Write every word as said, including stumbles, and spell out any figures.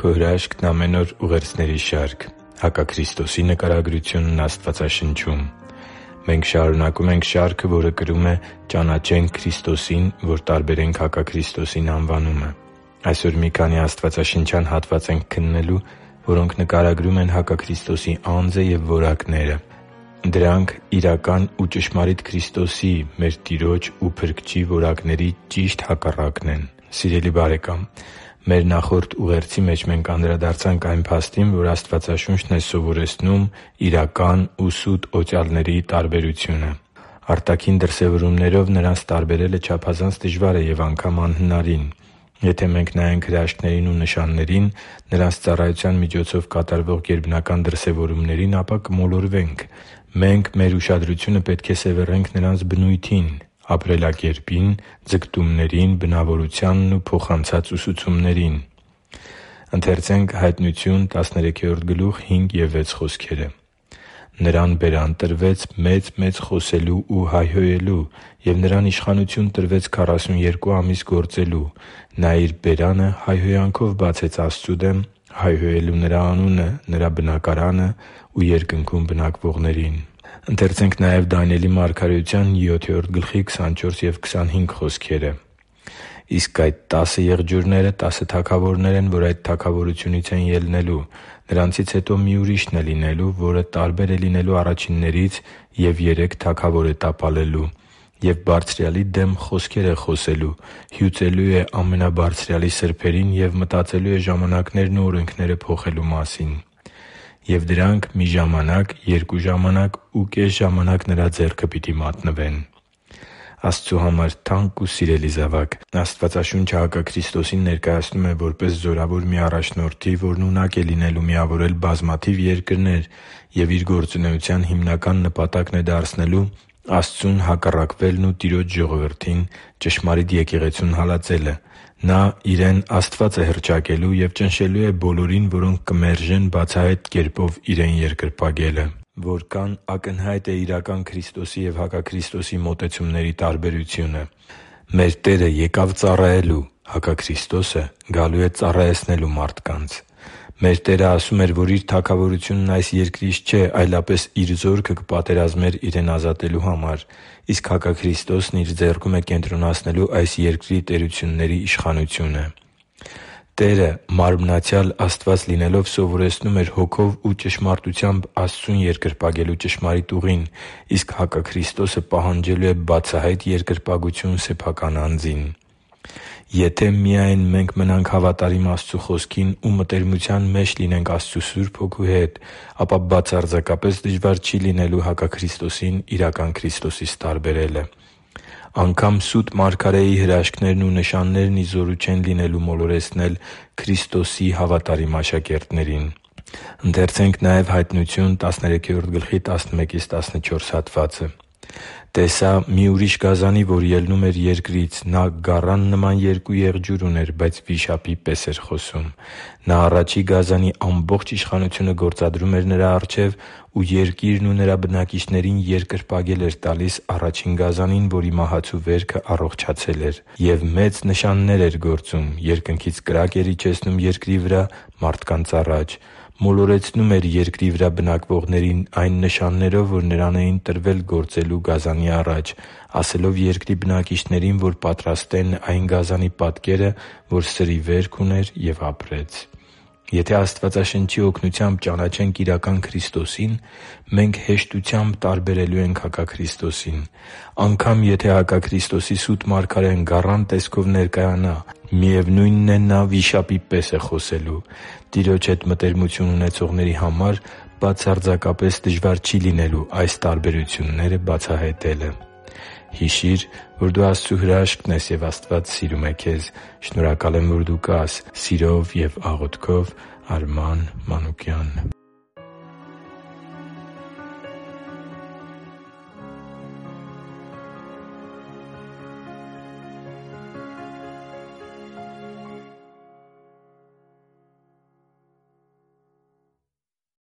Քո հրաշքն ամեն օր ուղերձների շարք։ Հակաքրիստոսի նկարագրությունն Աստվածաշնչում։ Մենք շարունակում ենք շարքը, որը կրում է «Ճանաչենք Քրիստոսին, որ տարբերենք հակաքրիստոսին» անվանումը։ Այսօր մի քանի աստվածաշնչյան հատված ենք քննելու, որոնք նկարագրում են հակաքրիստոսի անձը և որակները։ Դրանք իրական ու ճշմարիտ Քրիստոսի՝ մեր Տիրոջ ու Փրկչի որակների ճիշտ հակառակն են։ Սիրելի՛ բարեկամ, մեր նախորդ ուղերձի մեջ մենք անդրադարձանք այն փաստին, որ Աստվածաշունչն է սովորեցնում իրական ու սուտ օծյալների տարբերությունը։ Արտաքին դրսևորումներով նրանց տարբերելը չափազանց դժվար է և անգամ անհնարին։ Եթե մենք նայենք հրաշքներին ու նշաններին, նրանց ծառայության միջոցով կատարվող գերբնական դրսևորումներին, ապա կմոլորվենք։ Մենք մեր ուշադրությունը պետք է սևեռենք նրանց բնույթին, ապրելակերպին, ձգտումներին, բնավորությանն ու փոխանցած ուսուցումներին։ «Նրան բերան տրվեց մեծ-մեծ խոսելու ու հայհոյելու, և նրան իշխանություն տրվեց քառասունյերկու ամիս գործելու։ Նա իր բերանը հայհոյանքով բացեց Աստծու դեմ, հայհոյելու Նրա անունը, Նրա բնակարանը ու երկնքում բնակվողներին» (Հայտնություն տասներեքերորդ գլխի քսանչորս և քսանհինգ)։ «Իսկ այդ տասը եղջյուրները տասը թագավորներ են, որ այդ թագավորությունից են ելնելու։ Նրանցից հետո մի ուրիշն է լինելու, որը տարբեր է լինելու առաջիններից, և երեք թագավոր է տապալելու։ Եվ Բարձրյալի դեմ խոսքեր է խոսելու, հյուծելու է Ամենաբարձրյալի սրբերին և մտածելու է ժամանակներն ու օրենքները փոխելու մասին։ Եվ դրանք մի ժամանակ, երկու ժամանակ ու կես ժամանակ նրա ձեռքը պիտի մատնվեն» (Հայտնություն տասներեքերորդ գլխի քսանչորս և քսանհինգ)։ Աստծու համար թանկ ու սիրելի՛ զավակ, Աստվածաշունչը հակաքրիստոսին ներկայացնում է որպես զորավոր մի առաջնորդի, որն ունակ է լինելու միավորել բազմաթիվ երկրներ և իր գործունեության հիմնական նպատակն է դարձնելու Աստծուն հակառակվելն ու Տիրոջ ժողովրդին ճշմարիտ եկեղեցուն հալածելը։ Նա Իրեն Աստված է հռչակելու և ճնշելու է բոլորին, որոնք կմերժեն բացահայտ կերպով Իրեն երկրպագելը։ Որքա՜ն ակնհայտ է իրական Քրիստոսի և հակաքրիստոսի մոտեցումների տարբերությունը։ Մեր Տերը եկավ ծառայելու, հակաքրիստոսը գալու է ծառայեցնելու մարդկանց։ Մեր Տերը ասում էր, որ Իր թագավորությունն այս երկրից չէ, այլապես Իր զորքը կպատերազմեր Իրեն ազատելու համար, իսկ հակաքրիստոսն Իր ձեռքում է կենտրոնացնելու այս երկրի տերությունների իշխանությունը։ Տերը մարմնացյալ Աստված լինելով սովորեցնում էր Հոգով ու ճշմարտությամբ Աստծուն երկրպագելու ճշմարիտ ուղին, իսկ հակաքրիստոսը պահանջելու է բացահայտ երկրպագություն սեփական անձին։ Եթե միայն մենք մնանք հավատարիմ Աստծու Խոսքին ու մտերմության մեջ լինենք Աստծու Սուրբ Հոգու հետ, ապա բացարձակապես դժվար չի լինելու հակաքրիստոսին իրական Քրիստոսից տարբերելը։ Անգամ սուտ մարգարեի հրաշքներն ու նշաններն ի զորու չեն լինելու մոլորեցնել Քրիստոսի հավատարիմ աշակերտներին։ «Տեսա մի ուրիշ գազանի, որ ելնում էր երկրից. նա գառան նման երկու եղջյուր ուներ, բայց վիշապի պես էր խոսում։ Նա առաջի գազանի ամբողջ իշխանությունը գործադրում էր նրա առջև ու երկիրն ու նրա բնակիչներին երկրպագել էր տալիս առաջին գազանին, որի մահացու վերքը առողջացել էր։ Եվ մեծ նշաններ էր գործում. երկնքից կրակ էր իջեցնում երկրի վրա մարդկանց առաջ։ Մոլորեցնում էր երկրի վրա բնակվողներին այն նշաններով, որ նրան էին տրվել գործելու գազանի առաջ, ասելով երկրի բնակիչներին, որ պատրաստեն այն գազանի պատկերը, որ սրի վերք ուներ, և ապրեց» (Հայտնություն տասներեքերորդ գլխի տասնմեկից տասնչորս հատվածը)։ Եթե Աստվածաշնչի օգնությամբ ճանաչենք իրական Քրիստոսին, մենք հեշտությամբ տարբերելու ենք հակաքրիստոսին։ Անգամ եթե հակաքրիստոսի սուտ մարգարեն գառան տեսքով ներկայանա, միևնույնն է, նա վիշապի պես է խոսելու։ Տիրոջ հետ մտերմություն ունեցողների համար բացարձակապես դժվար չի լինելու այս տարբերությունները բացահայտելը։ Հիշի՛ր, որ դու Աստծո հրաշքն ես, և Աստված սիրում է քեզ։ Շնորհակալ եմ, որ դու կա՛ս։ Սիրով և աղոթքով, Արման Մանուկյան։